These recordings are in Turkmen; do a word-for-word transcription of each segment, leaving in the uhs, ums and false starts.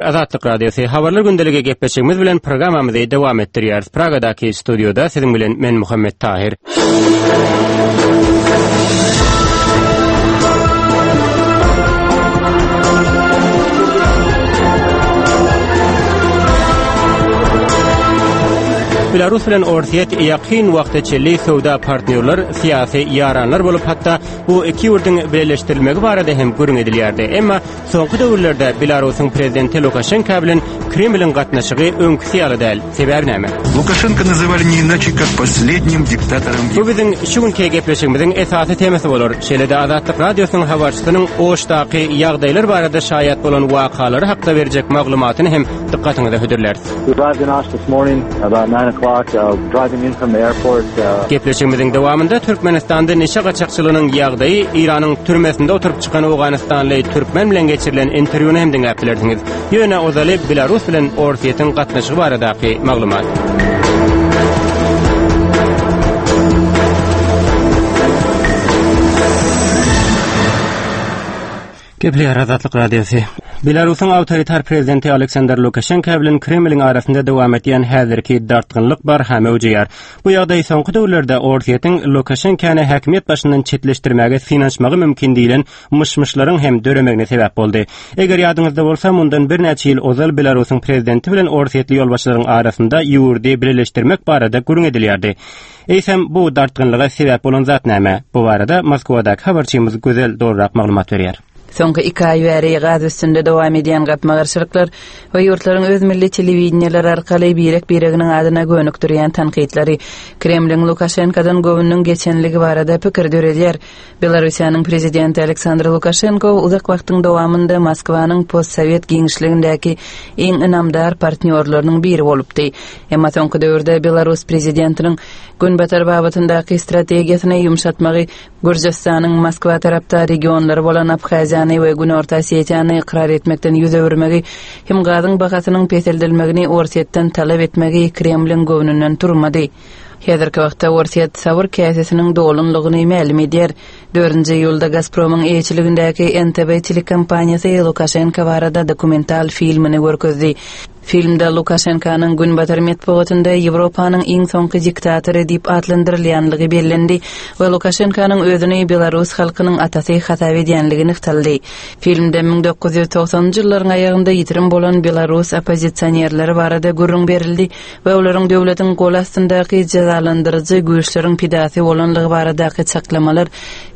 Azatlyk Radiosy Habarlar gündeligi gepleşigimiz bilen programmamyzy dowam etdirýäris. Pragadaky studioda siziň bilen men Muhammet Tahir. Belarus bilen Orsýet ýakyn wagta çenli söwda partnýorlar, syýasy ýaranlar bolup, hatda bu iki ýurduň birleşdirilmegi barada hem gürrüň edilýärdi. Emma soňky döwürlerde Belarusyň prezidenti Lukaşenko bilen Kremliň gatnaşygy öňküsi ýaly däl. Sebäbi näme? Лукашенко называли не иначе, как последним диктатором. Bu biziň şu günki gepleşigimiziň esasy temasy bolar. Şeýle-de Azatlyk Radiosynyň habarçysynyň Oşdaky ýagdaýlar barada şaýat bolan wakalary hakda berjek maglumatyny hem dykgatyňyza hödürläris. We arrived in Osh this morning about nine o'clock, uh, driving in from the airport. Uh, Gepleşigimiziň dowamynda Türkmenistanda neşe gaçakçylygynyň ýagdaýy, Eýranyň türmesinde oturyp çykan Owganystanly türkmen bilen geçirilen interwýuny hem diňläp bilersiňiz. Ýöne ozaly Belarus bilen Orsýetiň gatnaşygy baradaky maglumat. Gepleýär Azatlyk Radiosy. Belarusyň awtoritar prezidenti Aleksandr Lukaşenko bilen Kremliň arasynda dowam edýän häzirki dartgynlyk barha möwjeýär. Bu ýagdaý soňky döwürlerde Orsýetiň Lukaşenkony häkimiýet başyndan çetleşdirmäge synanyşmagy mümkin diýlen myş-myşlaryň hem döremegine sebäp boldy. Eger ýadyňyzda bolsa, mundan birnäçe ýyl ozal Belarusyň prezidenti bilen Orsýetli ýolbaşçylaryň arasynda ýurdy birleşdirmek barada gürrüň edilýärdi. Eýsem, bu dartgynlyga sebäp bolan zat näme? Bu barada Moskwadaky habarçymyz Gözel dogrurak maglumat berýär. Soňky iki aý bäri gaz üstünde dowam edýän gapma-garşylyklar we ýurtlaryň öz milli telewideniýeleri arkaly birek-bireginiň adyna gönükdirýän tankytlary Kremliň Lukaşenkodan göwnüniň geçenligi barada pikir döredýär. Belarusiýanyň prezidenti Aleksandr Lukaşenko uzak wagtyň dowamynda Moskwanyň postsowet giňişligindäki iň ynamdar partnýorlarynyň biri bolupdy. Emma soňky döwürde Belarus prezidentiniň Günbatar babatyndaky strategiýasyny ýumşatmagy Gürjüstanyň Moskwa tarapda regionlary bolan Abhaziýany we Günorta Osetiýany ykrar etmekden ýüz öwürmegi hem gazyň bahasynyň peseldilmegini Orsýetden talap etmegi Kremliň göwnünden turmady. Häzirki wagtda Orsýet sabyr käsesiniň dolunlygyny mälim edýär. Dördünji iýulda Gazpromyň eýeçiligindäki N T V telekompaniýasy Lukaşenko barada dokumental filmini görkezdi. Filmde Lukaşenkonyň Günbatar metbugatynda Ýewropanyň iň soňky diktatory diýip atlandyrylýanlygy bellendi we Lukaşenkonyň özüni Belarus halkynyň atasy hasap edýänligi nygtaldy. Filmde müň dokuz ýüz togsanynjy ýyllaryň aýagynda ýitirim bolan Belarus oppozisionerleri barada gürrüň berildi we olaryň döwletiň gol astyndaky jezalandyryjy güýçleriň pidasy bolanlygy baradaky çaklamalar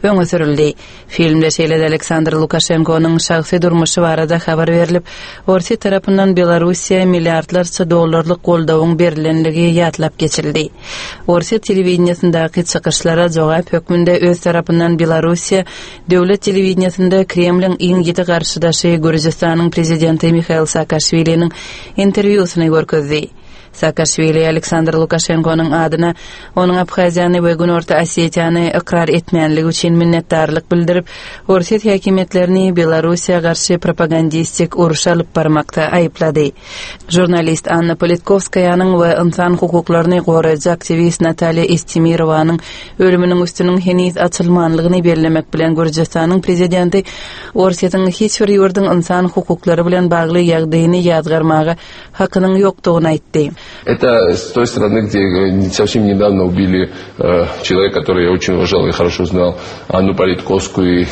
öňe sürüldi. Filmde şeýle-de Aleksandr Lukaşenkonyň şahsy durmuşy barada habar berilip, Orsýet tarapyndan Belarusiýa milliardlarça dollarlyk goldawyň berilenligi ýatlap geçildi. Orsýet telewideniýasyndaky çykyşlara jogap hökmünde öz tarapyndan Belarusiýa döwlet telewideniýasynda Kremliň iň ýiti garşydaşy Gürjüstanyň prezidenti Mihail Saakaşwiliniň interwýusyny görkezdi. Saakaşwili Aleksandr Lukaşenkonyň adyna onuň Abhaziýany we Günorta Osetiýany ykrar etmänligi üçin minnetdarlyk bildirip, Orsýet häkimiýetlerini Belarusiýa garşy propagandistik uruş alyp barmakda aýyplady. Žurnalist Anna Politkovskaýanyň we insan hukuklaryny goraýjy aktiwist Natalýa Estimirowanyň ölüminiň üstüniň heniz açylmanlygyny bellemek bilen Gürjüstanyň prezidenti Orsýetiň hiç bir ýurduň insan hukuklary bilen bagly ýagdaýyny ýazgarmaga hakynyň ýokdugyny aýtdy. Это с той страны, где совсем недавно убили, э, человека, который я очень уважал и хорошо знал, Анну Политковскую.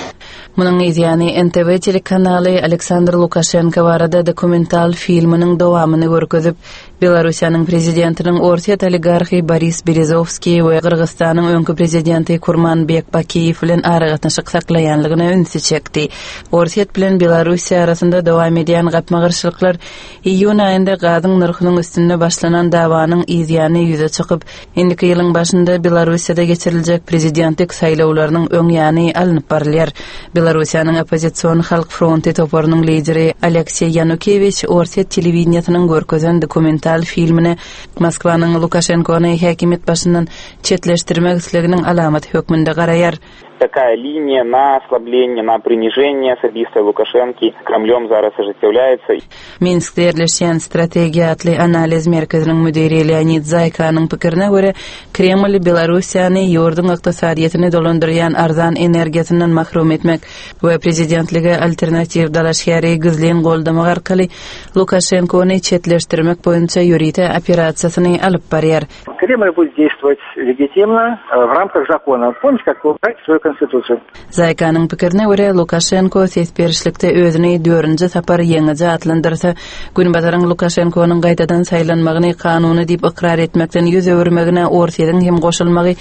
Munuň ýany N T V telekanaly Aleksandr Lukaşenko barada dokumental filminiň dowamyny görkezip, Belarusiýanyň prezidentiniň Orsýet oligarhy Boris Berezovskiý we Gyrgyzystanyň öňki prezidenti Kurmanbek Bakiýew bilen aragatnaşyk saklaýanlygyna ünsi çekdi. Orsýet bilen Belarusiýa arasynda dowam edýän gapma-garşylyklar iýun aýynda gazyň nyrhynyň üstünde başlanan dawanyň ýany ýüze çykyp, indiki ýylyň başynda Belarusiýada geçiriljek prezidentlik saýlawlarynyň öň ýany alnyp barylýar. Belarusiýanyň oppozision Halk fronty toparynyň lideri Alekseý Ýanukewiç Orsýet telewideniýasynyň görkezen dokumental filmine Moskwanyň Lukaşenkony häkimiýet başyndan çetleşdirmek isleginiň alamaty hökmünde garaýar. Такая линия на ослабление, на принижение асабістае Лукашэнкі Крамлём зараз ажыццяўляецца. Minskde ýerleşýän Strategiýa atly analiz merkeziniň müdiri Leonid Zaýkanyň pikirine görä, Kreml Belarussiýany ýurduň ykdysadyýetini dolandyrýan arzan energiýasyndan mahrum etmek we prezidentlige alternatiw dalaşgäri gizlin goldamak arkaly Lukaşenkony çetleşdirmek boýunça ýörite operasiýasyny alyp barýar. Кремль будет действовать легитимно э, в рамках закона. Помните, как вы свою конституцию? Zaýkanyň pikirine görä, Lukaşenko ses berişlikde özüni dördünji sapar ýeňiji atlandyrsa, Günbataryň Lukaşenkonyň gaýtadan saýlanmagyny kanuny diýip ykrar etmekden ýüz öwürmegine Orsýetiň hem goşulmagy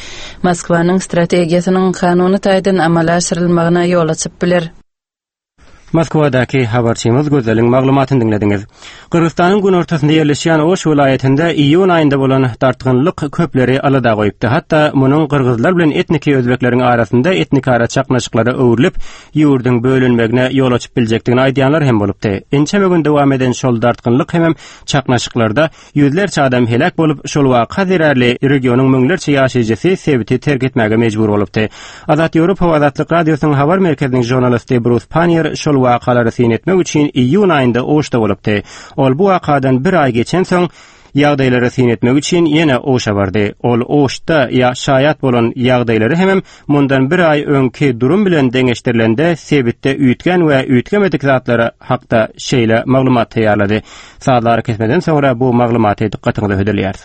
Moskwanyň strategiýasynyň kanuny taýdan amala aşyrylmagyna ýol açyp biler. Moskwadaky habarçymyz Gözeliň maglumatyny diňlediňiz. Gyrgyzystanyň günortasynda ýerleşýän Oş welaýatynda iýun aýynda bolan dartgynlyk köpleri alada goýupdy. Hatda munuň gyrgyzlar bilen etniki özbekleriň arasynda etnikara çaknyşyklara öwrülip, ýurduň bölünmegine ýol açyp biljekdigini aýdýanlar hem bolupdy. Ençeme gün dowam eden şol dartgynlyk hemem çaknyşyklarda ýüzlerçe adam heläk bolup, şol waka zerarly regionyň müňlerçe ýaşaýjysy sebiti terk etmäge mejbur bolupdy. Azat Ýewropa Azatlyk Radiosynyň habar merkeziniň žurnalisti Brus Pannier şol wakalary syn etmek üçin iýun aýynda Oşda bolupdy. Ol bu wakadan bir aý geçen soň ýagdaýlary syn etmek üçin ýene Oşa bardy. Ol Oşda ýa şaýat bolan ýagdaýlary hemem mundan bir aý öňki durum bilen deňeşdirilende sebitde üýtgän we üýtgemedik zatlara hakda şeýle maglumat taýýarlady. Sazlary kesmeden soňra bu maglumaty dykgatyňyza hödürleýäris.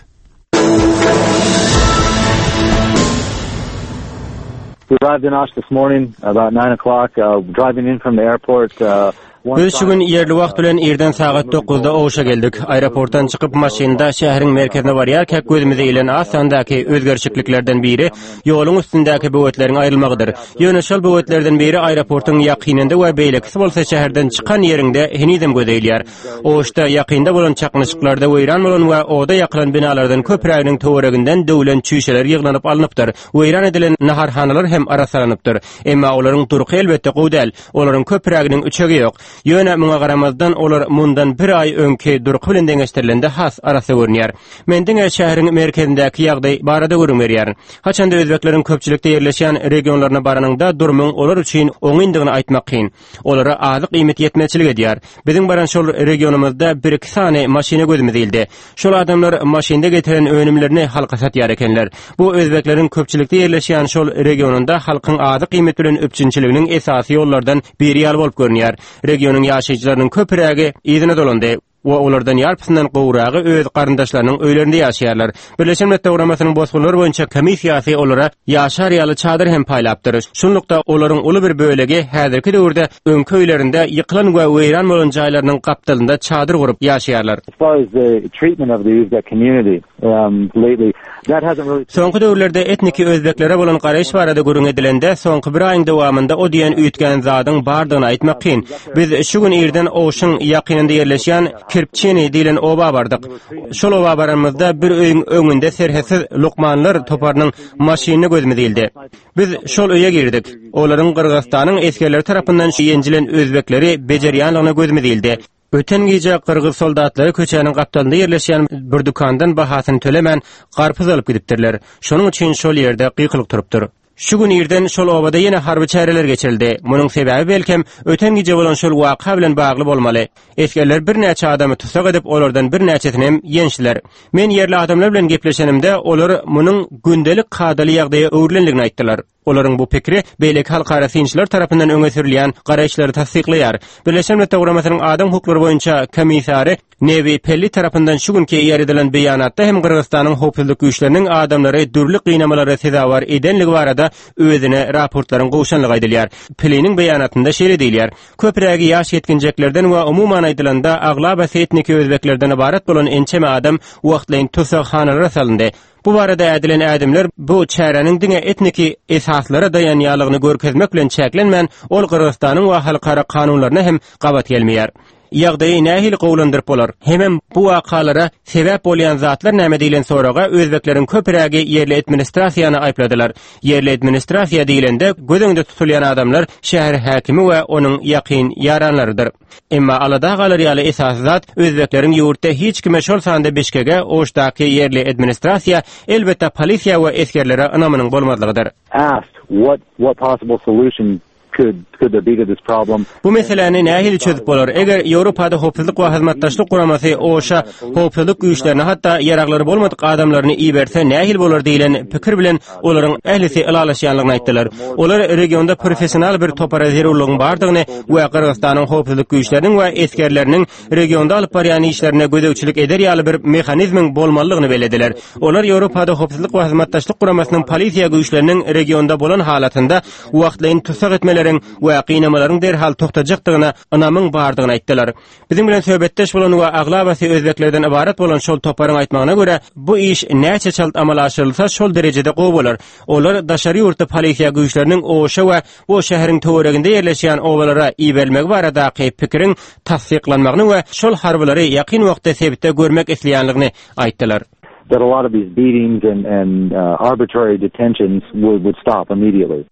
We arrived in Osh this morning about nine o'clock, uh, driving in from the airport. Uh, Biz şu gün ýerli wagt bilen irden sagat dokuzda Oşa geldik. Aeroportdan çykyp maşynda şäheriň merkezine barýarkäk gözümize ilen az sandaky özgerişliklerden biri ýoluň üstündäki böwetleriň aýrylmagydyr. Ýöne şol böwetlerden biri aeroportuň ýakynynda we beýlekisi bolsa şäherden çykan ýerinde henizem göze ilýär. Oşda ýakynda bolan çaknyşyklarda weýran bolan we oda ýakylan binalardan köpräginiň töwereginden döwlen çüýşeler ýygnanyp alnypdyr. Weýran edilen naharhanalar hem arasalanypdyr. Emma olaryň durky elbetde gowy däl. Olaryň köpräginiň üçegi ýok. Ýöne muňa garamazdan olar mundan bir aý öňki durky bilen deňeşdirilende has arassa görünýär. Men diňe şäheriň merkezindäki ýagdaý barada gürrüň berýärin. Haçanda özbekleriň köpçülikde ýerleşýän regionlaryna baranyňda durumyň olar üçin oňyndygyny aýtmak kyn. Olara azyk iýmit ýetmezçilik edýär. Biziň baran şol regionymyzda bir iki sany maşyna gözümiz ildi. Şol adamlar maşynda getiren önümlerini halka satýar ekenler. Bu özbekleriň köpçülikde ýerleşýän şol regionynda halkyň azyk iýmit bilen üpjünçiliginiň esasy ýollardan biri ýaly bolup görünýär. Regionyň ýaşaýjylarynyň köprägi yzyna dolandy we olardan ýarpysyndan gowragy öz garyndaşlarynyň öýlerinde ýaşaýarlar. Birleşen Milletler Guramasynyň bosgunlar boýunça komissiýasy olara ýaşar ýaly çadyr hem paýlapdyr. Şunlukda olaryň uly bir bölegi häzirki döwürde öňki öýlerinde ýykylan we weýran bolan jaýlarynyň gapdalynda çadyr gurup ýaşaýarlar. As far as the treatment of the Uzbek community, um, lately, that hasn't really Soňky döwürlerde etniki özbeklere bolan garaýyş barada gürrüň edilende, soňky bir aýyň dowamynda o diýen üýtgän zadyň bardygyny aýtmak kyn. Biz şu gün irden Oşuň ýakynynda ýerleşýän Kirpçeni diýlen oba bardyk. Şol oba baranymyzda bir öýüň öňünde serhetsiz lukmanlar toparynyň maşynyny gözümiz ildi. Biz şol öýe girdik. Olaryň Gyrgyzystanyň esgerleri tarapyndan ýenjilen özbekleri bejerýänligine gözümiz ildi. Öten gije Gyrgyz soldatlary köçäniň gapdalynda ýerleşýän bir dükandan bahasyny tölemän garpyz alyp gidipdirler. Şonuň üçin şol ýerde gykylyk turupdyr. Şu gün irden şol obada ýene harby çäreler geçirildi. Munuň sebäbi belkem öten gije bolan şol waka bilen bagly bolmaly. Esgerler birnäçe adamy tutsak edip, olardan birnäçesini hem ýençdiler. Men ýerli adamlar bilen gepleşenimde olar munuň gündelik kadaly ýagdaýa öwrülenligini aýtdylar. Olaryň bu pikri beýleki halkara synçylar tarapyndan öňe sürülýän garaýyşlary tassyklaýar. Birleşen Milletler Guramasynyň adam hukuklary boýunça komissary Nevi Pelli tarapyndan şu günki ýer edilen beýanatda hem Gyrgyzystanyň howpsuzlyk güýçleriniň adamlary dürli gynamalara sezawar edenligi barada özüne raportlaryň gowşanlygy aýdylýar. Pelliniň beýanatynda şeýle diýilýär: Köprägi ýaş ýetginjeklerden we umuman aýdylanda aglaba etniki özbeklerden ybarat bolan ençeme adam wagtlaýyn tussaghanalary salyndy. Bu barada ädilen ädimler bu çäräniň diňe etniki esaslara daýanýanlygyny görkezmek bilen çäklenmän, ol Gyrgyzystanyň we halkara kanunlaryna hem gabat gelmeýär. Ýagdaýy nähili gowulandyryp bolar? Hemem bu wakalara sebäp bolýan zatlar näme diýlen soraga özbekleriň köprägi ýerli administrasiýany aýypladylar. Ýerli administrasiýa diýlende göz öňünde tutulýan adamlar şäher häkimi we onuň ýakyn ýaranlarydyr. Emma alada galar ýaly esasy zat özbekleriň ýurtda hiç kime şol sanda Bişkege, Oşdaky ýerli administrasiýa, elbetde polisiýa we esgerlere ynamynyň bolmazlygydyr. Asked what what possible solution could could there be to this problem? Bu meseläni nähili çözüp bolar? Eger Ýewropada howpsuzlyk we hyzmatdaşlyk guramasy Oşa howpsuzlyk güýçlerini hatda ýaraglary bolmadyk adamlaryny iberse nähili bolar diýlen pikir bilen olaryň ählisi ylalaşýanlygyny aýtdylar. Olar regionda professional bir topara zerurlygyň bardygyny we Gyrgyzystanyň howpsuzlyk güýçleriniň we esgerleriniň regionda alyp barýan işlerine gözegçilik eder ýaly bir mehanizmiň bolmalydygyny bellediler. Olar Ýewropada howpsuzlyk we hyzmatdaşlyk guramasynyň polisiýa güýçleriniň regionda bolan halatynda wagtlaýyn tussag etmeleriň we gynamalaryň derhal tohtajakdygyna ynamyň bardygyny aýtdylar. Biziň bilen söhbetdeş bolan we aglabasy özbeklerden ybarat bolan şol toparyň aýtmagyna görä, bu iş näçe çalt amala aşyrylsa şol derejede gowy bolar. Olar daşary ýurtda polisiýa güýçleriniň Oşa we bu şäheriň töwereginde ýerleşýän obalara iberilmegi baradaky pikiriň tassyklanmagyny we şol harbylary ýakyn wagtda sebitde görmek isleýänligini aýtdylar. That a lot of these beatings and and uh, arbitrary detentions would would stop immediately.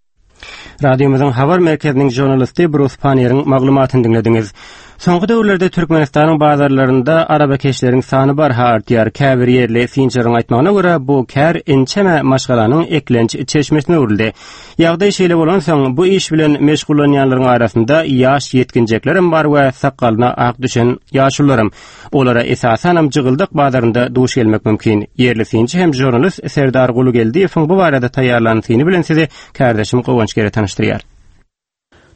Radiomyzyň habar merkeziniň žurnalisti Brus Paneriň maglumatyny diňlediňiz. Soňky döwürlerde Türkmenistanyň bazarlarynda arabakeşleriň sany barha artýar. Käbir ýerli synçylaryň aýtmagyna görä, bu kär ençeme maşgalanyň eklenç çeşmesine öwrüldi. Ýagdaý şeýle bolansoň, bu iş bilen meşgullanýanlaryň arasynda ýaş ýetginjeklerem bar we sakgalyna ak düşen ýaşulularam. Olara esasanam Jygyldak bazarynda duş gelmek mümkin. Ýerli synçy hem žurnalist Serdar Gulugeldiýewiň bu barada taýýarlan syny bilen sizi kärdeşim Guwanç Gere tanyşdyrýar.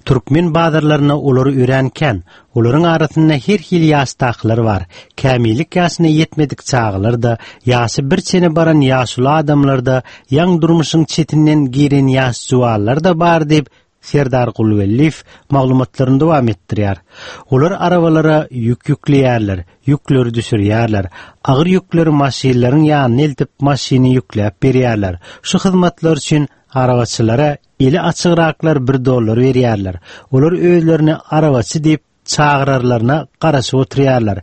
Türkmen bazarlaryna olary örän kän, olaryň arasynda her hili ýaşdakylar bar. Kämillik ýaşyna ýetmedik çagalar da, ýaşy bir çene baran ýaşuly adamlar da, ýaň durmuşyň çetinden giren ýaş juwanlar da bar diýip Serdar Gulgeldiýew maglumatlaryny dowam etdirýär. Olar arabalara ýük ýükleýärler, ýükleri düşürýärler. Agyr ýükleri maşynlaryň ýanyna eltip maşyny ýükläp berýärler. Şu hyzmatlar üçin arabaçylara eli açygraklar bir dollar berýärler. Olar özlerini arabaçy diýip çagyrarlaryna garaşyp oturýarlar.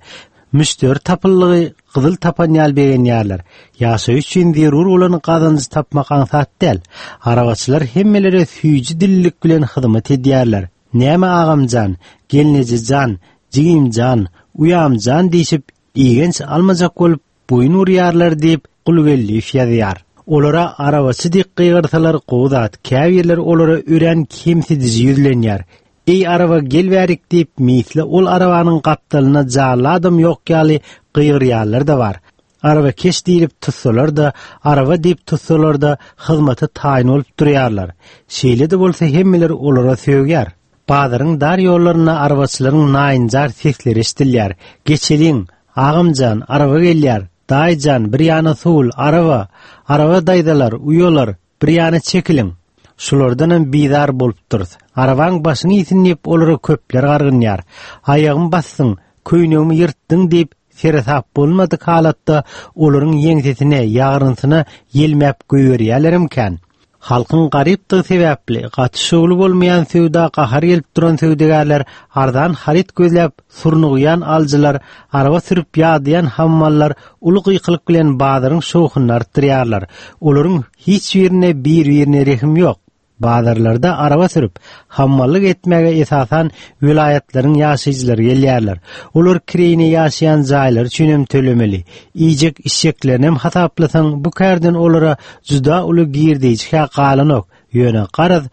Müşderi tapyllygy gyzyl tapan ýaly begenýärler. Ýaşaýyş üçin zerur bolan gazanjy tapmak aňsat däl. Arabaçylar hemmelere süýji dillilik bilen hyzmat edýärler. Näme agamjan, gelnejejan, jigimjan, uýamjan diýşip igenç almajak bolup boýun urýarlar diýip Gulgeldiýew ýazýar. Olara arabaçy diýip gygyrsalar gowy zat, käbirler olara örän kemsidiji ýüzlenýär. Ey araba gel bärik diýip misli ol arabanyň gapdalyna janly adam ýok ýaly gygyrýanlar da bar. Araba keş diýilip tutsalar da, araba diýip tutsalar da hyzmata taýyn bolup durýarlar. Şeýle-de bolsa hemmeler olara sögýär. Bazaryň dar ýollarynda arabaçylaryň naýynjar sesleri eşidilýär. Geçeliň, agamjan, araba gelýär. Daýjan, bir ýana suwul, araba, araba daýdalar, uýalar, bir ýana çekiliň. Şulardanam bizar bolupdyrys. Arabaň başyny iýsin diýip olara köpler gargynýar. Aýagymy basdyň, köýnegimi ýyrtdyň diýip seresap bolmadyk halatda olaryň ýeňsesine, ýagyrynsyna ýelmäp goýberýärlerem kän. Halkyň garypdygy sebäpli gaty şowly bolmaýan söwda gahar gelip duran söwdagärler, arzan haryt gözläp surnugýan alyjylar, araba sürüp ýadaýan hammallar uly gykylyk bilen bazaryň şowhunyny artdyrýarlar. Olaryň hiç birine bir-birine rehim ýok. Bazarlarda araba sürüp, hammallyk etmäge esasan welaýatlaryň ýaşaýjylary gelýärler. Olar kireýine ýaşaýan jaýlar üçin hem tölemeli. Iýjek içjeklerini hem hasaplasaň, bu kärden olara juda uly girdeýji galanok. Ýöne garaz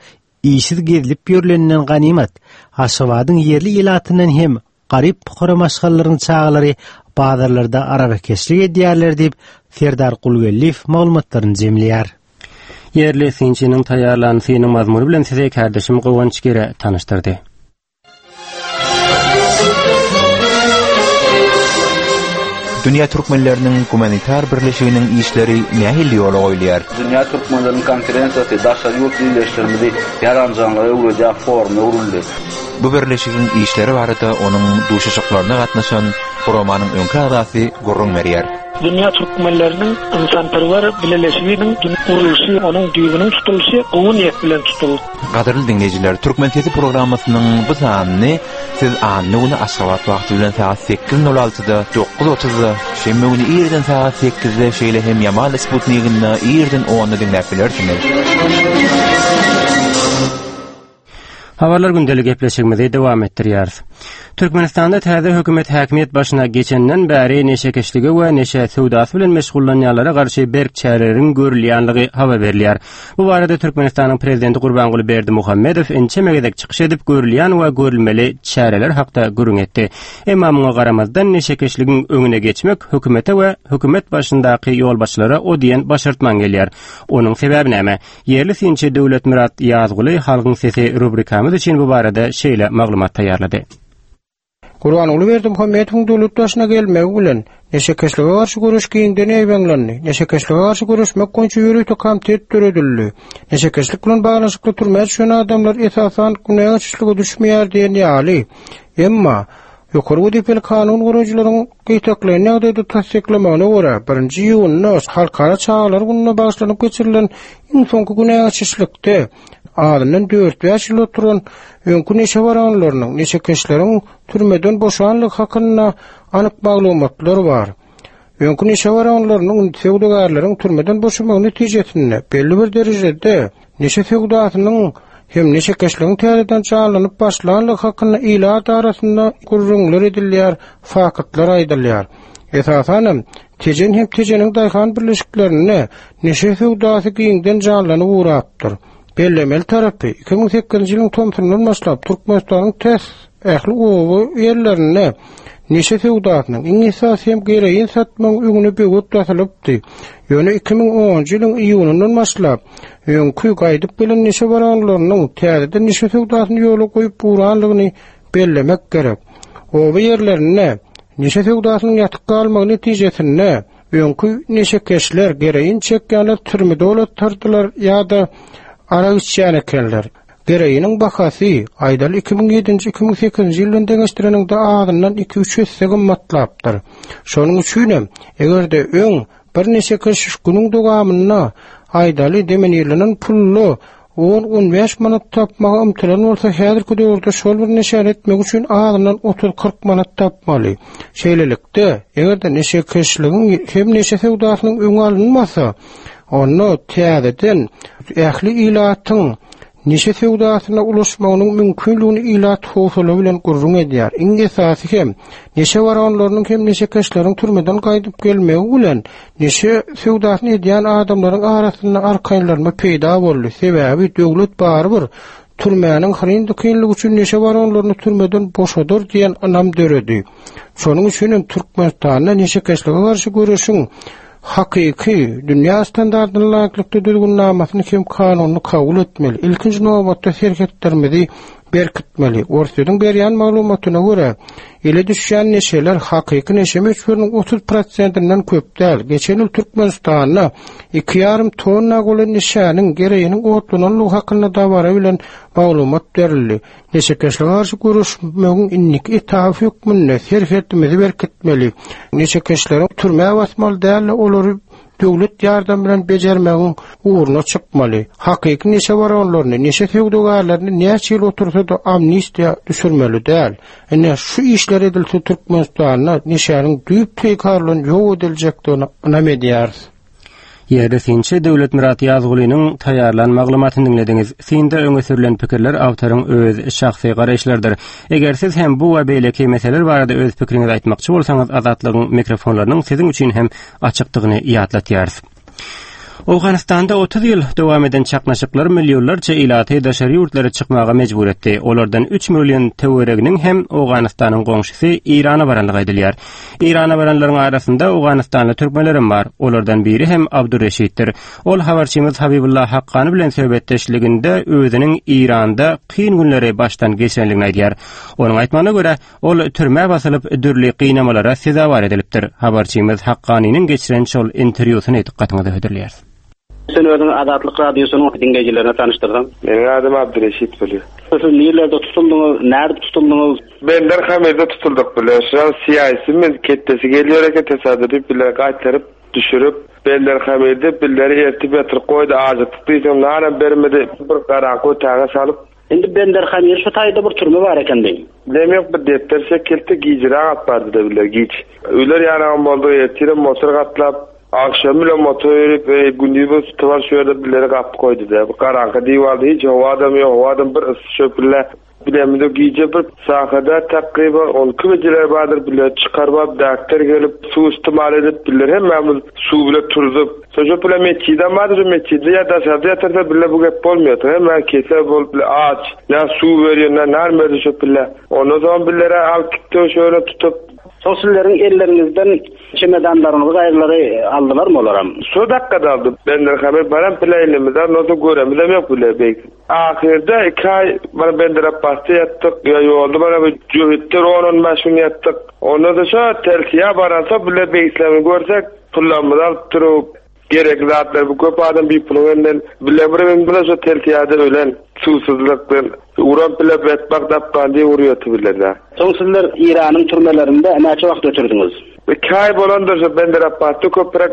işsiz gezilip ýörleninden ganymat. Aşgabadyň ýerli ilatyndan hem garyp pukara maşgalalaryň çagalary bazarlarda arabakeşlik edýärler diýip Serdar Gulgeldiýew maglumatlaryny jemleýär. Ýerli synçynyň taýýarlan synyň mazmuny bilen size kärdeşim Guwanç Gere tanyşdyrdy. Dünýä Türkmenleriniň Gumanitar Birleşiginiň işleri nähili ýola goýulýar? Dünýä Türkmenleriniň konferensiýasy daşary ýurt ildeşlerimizi ýaranjaňlyga öwredýän foruma öwrüldi. Bu birleşigiň işleri barada onuň duşuşyklaryna gatnaşan guramanyň öňki agzasy gürrüň berýär. Dünýä türkmenleriniň ynsanperwer bileleşiginiň gurluşy, onuň düýbüniň tutulyşy gowy niýet bilen tutuldy. Gadyrly dinleýjiler, Türkmen Sesi programmasynyň bu sanyny siz anna güni Aşgabat wagty bilen saat sekiz nol altyda, dokuz otuzda, şenbe güni irden saat sekizde, şeýle hem Ýamal Sputniginde irden onda dinläp bilersiňiz. Habarlar gündelik gepleşigimizi dowam etdirýäris. Türkmenistanda täze hökümet häkimiýet başyna geçenden bäri neşekeşligi we neşe söwdasy bilen meşgullanýanlara garşy berk çäreleriň görülýänligi habar berilýär. Bu barada Türkmenistanyň prezidenti Gurbanguly Berdimuhamedow ençeme gezek çykyş edip görülýän we görülmeli çäreler hakda gürrüň etdi. Emma muňa garamazdan neşekeşligiň öňüne geçmek hökümete we hökümet başyndaky ýolbaşçylara o diýen başartman gelýär. Onuň sebäbi näme? Ýerli synçy Döwletmyrat Ýazguly Halkyň sesi rubrikamyz üçin bu barada şeýle maglumat taýýarlady. Gurbanguly Berdimuhamedowyň döwlet başyna gelmegi bilen neşekeşlige garşy göreş giňden eýwenlendi. Neşekeşlige garşy göreşmek boýunça ýörite komitet döredildi. Neşekeşlik bilen baglanyşykly türmä düşen adamlar esasan günä geçişlige düşmeýär diýen ýaly. Emma ýokary wezipeli kanun goraýjylaryň gytaklaýyn ýagdaýda tassyklamagyna görä, birinji iýunda Halkara çagalar gününe bagyşlanyp geçirilen iň soňky günä geçişlikde azyndan dört bäş ýyl oturan öňki neşe baranlarynyň, neşekeşleriň türmeden boşanlyk hakynda anyk maglumatlar bar. Öňki neşe baranlarynyň söwdagärleriň türmeden boşamagy netijesinde belli bir derejede neşe söwdasynyň hem neşekeşligiň täzeden janlanyp başlanlygy hakynda ilat arasynda gürrüňler edilýär, faktlar aýdylýar. Esasanam Tejen hem Tejeniň daýhan birleşiklerinde neşe söwdasy giňden janlanyp ugrapdyr. Bellemeli tarapy iki müň sekizinji ýylyň tomsundan başlap Türkmenistanyň täs ähli oba ýerlerinde neşe söwdasynyň iň esasy hem gereýin satmagyň öňüne böwet basylypdy. Ýöne iki müň onunjy ýylyň iýunyndan başlap öňki gaýdyp gelen neşe baranlarynyň täzeden neşe söwdasyny ýola goýup uranlygyny bellemek gerek. Oba ýerlerinde neşe söwdasynyň ýatyk galmagy netijesinde öňki neşekeşler gereýin çekýänler türmede olatdyrdylar ýa-da arak içýän ekenler. Gereýiniň bahasy aýdaly iki müň ýedinji iki müň sekizinji ýyldan deňeşdireniňde azyndan iki üç esse gymmatlapdyr. Şonuň üçin hem eger-de öň bir neşekeş günüň dowamynda aýdaly demenirlenen pully on on bäş manat tapmaga ymtylan bolsa, häzirki döwürde şol bir neşe etmek üçin azyndan otuz kyrk manat tapmaly. Şeýlelikde, eger-de neşekeşligiň hem neşe söwdasynyň öňi alynmasa, onda täzeden ähli ilatyň neşe söwdasyna ulaşmagynyň mümkinligini ilat howsala bilen gürrüň edýär. Iň esasy hem neşe baranlarynyň hem neşekeşleriň türmeden gaýdyp gelmegi bilen neşe söwdasyny edýän adamlaryň arasynda arkaýynlanma peýda boldy. Sebäbi döwlet barybir türmäniň hyryn-dykynlygy üçin neşe baranlaryny türmeden boşadar diýen ynam döredi. Şonuň üçin hem Türkmenistanda neşekeşlige garşy göreşiň hakyky dünýä standartyna laýyklykda düzgünnamasyny hem kanunyny kabul etmeli. Ilkinji nobatda serhetlerimizi berkitmeli. Orsýetiň berýän maglumatyna görä, ele düşýän neşeler hakyky neşe möçberiniň otuz prosentinden köp däl. Geçen ýyl Türkmenistanda iki ýarym tonna bolan neşäniň gereýiniň otlananlygy hakynda dabara bilen maglumat berildi. Neşekeşlige garşy göreşmegiň indiki etaby hökmünde serhetimizi berkitmeli. Neşekeşleriň türmä basmaly däl, olary döwlet ýardamy bilen bejermegiň ugruna çykmaly. Hakyky neşe baranlaryny, neşe söwdagärlerini näçe ýyl otursa-da amnistiýa düşürmeli däl. Ine şu işler edilse Türkmenistanda neşäniň düýp teýkarlan ýok ediljekdigine ynam edýäris. Ýerli synçy Döwletmyrat Ýazgulynyň taýýarlan maglumatyny dinlediňiz. Synda öňe sürülen pikirler awtoryň öz şahsy garaýyşlarydyr. Eger siz hem bu we beýleki meseleler barada öz pikiriňizi aýtmakçy bolsaňyz, Azatlygyň mikrofonlarynyň siziň üçin hem açykdygyny ýatlatýarys. Owganystanda otuz ýyl dowam eden çaknyşyklar millionlarça ilaty daşary ýurtlara çykmaga mejbur etdi. Olardan üç million töwereginiň hem Owganystanyň goňşusy Eýrana baranlygy aýdylýar. Eýrana baranlaryň arasynda Owganystanly türkmenler bar. Olardan biri hem Abdureşitdir. Ol habarçymyz Habibullah Hakkany bilen söhbetdeşliginde özüniň Eýranda kyn günleri başdan geçirenligini aýdýar. Onuň aýtmagyna görä, ol türmä basylyp dürli gynamalara sezewar edilipdir. Habarçymyz Hakkanynyň geçiren şol interwýusyny dykgatyňyza hödürleýär. Sen özüňi Azatlyk radiosynyň diňleýjilerine tanyşdyrsaň. Meniň adym Abdureşit bolýar. Siz nirelerde tutuldyňyz, nädip tutuldyňyz? Bender Hamirde tutuldyk bile. Şuan siyasi men kettesi geliyor eken tesadüf bile gaýtaryp düşürip Bender Hamirde billeri ertip ýatyr goýdy ajytdyk diýsem nanam bermedi. Bir garaňky otaga salyp Indi Bender Hamir şu taýda bir türme bar eken diýim. Demek bir defter şekilde gijire at bardy da bile giç. Öler ýanagym boldy, ertirem motor gatlap, akşam bile motor ýörüp, e, gündüz tutup şu ýerde billeri gapy koydu da. Bu garaňky diwalda hiç howa adam ýok, howa adam bir ysy şöpülle. Bilemde gije bir sahada takriben on iki beceler bardyr bile çıkarma daktar gelip su istimal edip bilir hemmemiz su bile turzup. Sonuçta bile metjiden vardır metjide ya da yatırsa bile bu gep bolmuyor. Hemen kese bol bile aç. Ne su veriyor ne nar veriyor şu bile. Ondan sonra billere al gitti şöyle tutup Sosullaryň elleriňizden çemedanlaryňyzy gaýrylary aldylar mı olaram? Şu dakikada aldı. Bender haber baran pleylimizden nasıl göremizem yok bile belki. Ahirde iki ay bana Bender Abbas'ta yattık. Ya yoldu bana bir cühüttür on on beş gün yattık. Ondan da şu telsiye baransa bile beyislemi görsek pullarımızı alıp durup gerekli zatlar bu köp adam bir pulun elinden bile bir bin bile şu telsiyede ölen susuzluktan uran bile betbak dapkan diye vuruyor bile. Soň sizler İranyň türmelerinde näçe wagt ötürdüňiz? İki ay bolandır şu Bender Abbas'ta köpürek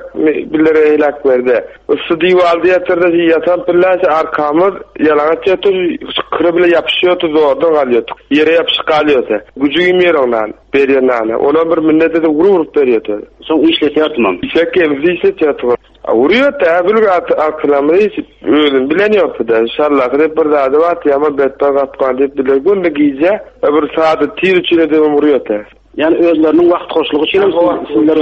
billere helak verdi. Su divalda yatırdı, yatan pillası arkamız yalana yatır, kırı bile yapışıyordu, zordan kalıyordu. Yere yapışık kalıyordu. Gücü yemiyor ondan, veriyor nane. Ona bir minnete de vuru vurup veriyordu. Soň işletýärdi mi? İşletýärdi, işletýärdi. Vuruyor da, bilgi arkalamı hiç özüm bilen yoktu da. İnşallah bir zady bar, ýa betbagt atgan diýip bile günde gije bir saat tir üçin de vuruyor da. Yani özleriniň wagt hoşlugy üçin sizler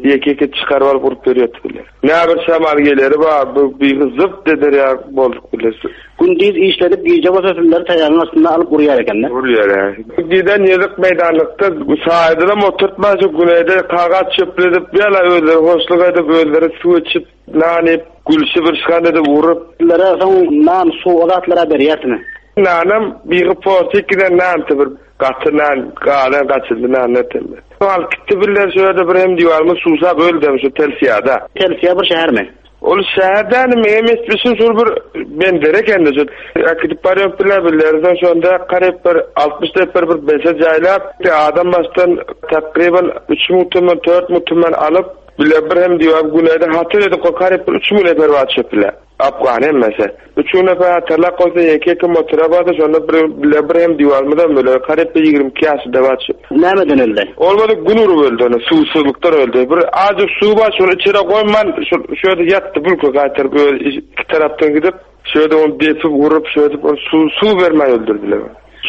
Ýeke ýeke çykaryp alyp urup berýärdi bile. Ne bir şamal geleri bar, bu bir zıp dedir ya bolduk bile. Gündiz işledip gije bolsa sizler taýagyň astynda alyp urýar ekenler. Urýar ya. Giden ýerik meýdanlykda saýda da oturtma şu güneyde kağat çöpledip ýala özleri hoşluk edip özleri suw içip nanip gülşi bir şan edip urup. Sizlere soň nan suw zatlara berýärmi? Nanam bir portik giden nan bir gaty nan galan gaçyldy nan netemme. Al gitti biller şöyle bir hem diwarmy susap öldü şu Telsiyada. Telsiya bir şäher mi? Ol şäherden emes bir şur bir bendere kendi şu. Akidip barýan biller billerden şonda garip bir altmyş nefer bir beşe jaýlap adam başdan takriben üç müň tümen dört müň tümen alyp bile bir hem diwar güneyde hatır edip garip bir üç müň nefer var çöpüle. Afgan hemmesi. Üç müň nefer hatırlak olsa ýeke ýeke motora bardy, şonda bir bile bir hem diwarmydan böyle garip bir ýigrimi iki ýaşynda var çöp. Nämeden öldü? Olmadı gün urup öldü onu, susuzluktan öldü. Bir azıcık su var, şunu içine koyman, şu, şöyle yattı, bulku qaytarıp öyle iki taraftan gidip, şöyle onu depip vurup, şöyle onu su, su vermey öldürdüler.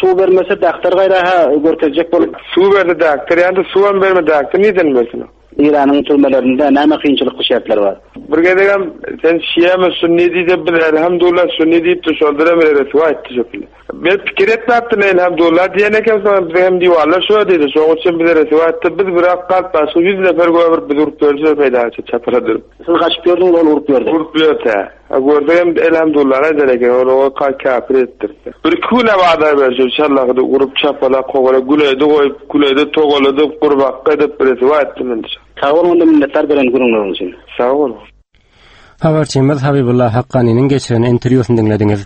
Su vermese daktar gaýra ha görkezjek bolup. Su verdi daktar, yani su hem vermedi daktar, neden versin? İranyň türmelerinde näme kynçylykly şertler var? Bir gezegem sen şiýe mi sünni diýip biz elhamdülillah sünni diýip şonda bir reswa etdi şöyle. Ben pikir etmepdim elhamdülillah diýen eken soň biz hem diwarlar şöyle diýdi. Şoň üçin bize reswa etdi. Biz bir kalp başga ýüz nefer goýup biz urup görse peýda çapara durup. Siz gaçyp gördüňiz, ol urup gördü. Urup gördü. Ha gördü hem elhamdülillah eder eken onu o kafir ettirdi. Bir iki gün wada berdi inşallah urup çapala kogala güleydi goýup güleydi togaladı gurbakka edip reswa etdi men. Sag boluň, onda minnetdar beren gürrüňleriňiz üçin. Sag boluň. Habarçymyz Habibullah Hakkanynyň geçiren interwýusyny diňlediňiz.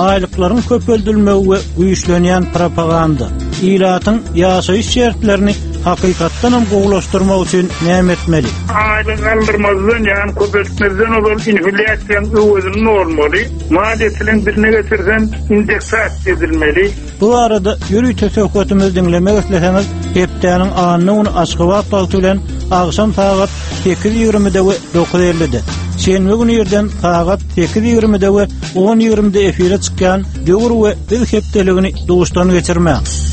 Aýlyklaryň köpeldilmegi we güýçlenýän propaganda ilatyň ýaşaýyş şertlerini hakykatdan hem gowulaşdyrmak üçin näme etmeli? Aýlyk aldyrmazdan, ýani köpeltmezden ozal inflýasiýanyň öwezini olmaly. Maliýetiniň birine getirsen indeksasiýa edilmeli. Bu arada ýörite söhbetimizi diňlemek isleseňiz, hepdäniň anna güni Aşgabat wagty bilen agşam sagat sekiz ýigrimide we dokuz ellide, şenbe güni ýerden sagat sekiz ýigrimide we on ýigrimide efire çykýan Döwür we Biz hepdeligini duşdan geçirmäň.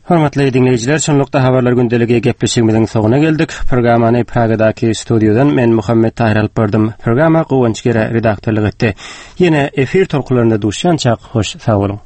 Hormatly dinleýjiler, şonlukda habarlar gündeligi gepleşigimiziň soňuna geldik. Programmany Pragadaky studiýadan men Muhammet Tahir alyp bardym. Programma Guwanç Gere redaktorlyk etdi. Ýene efir tolkunlarynda duşýança hoş sag boluň.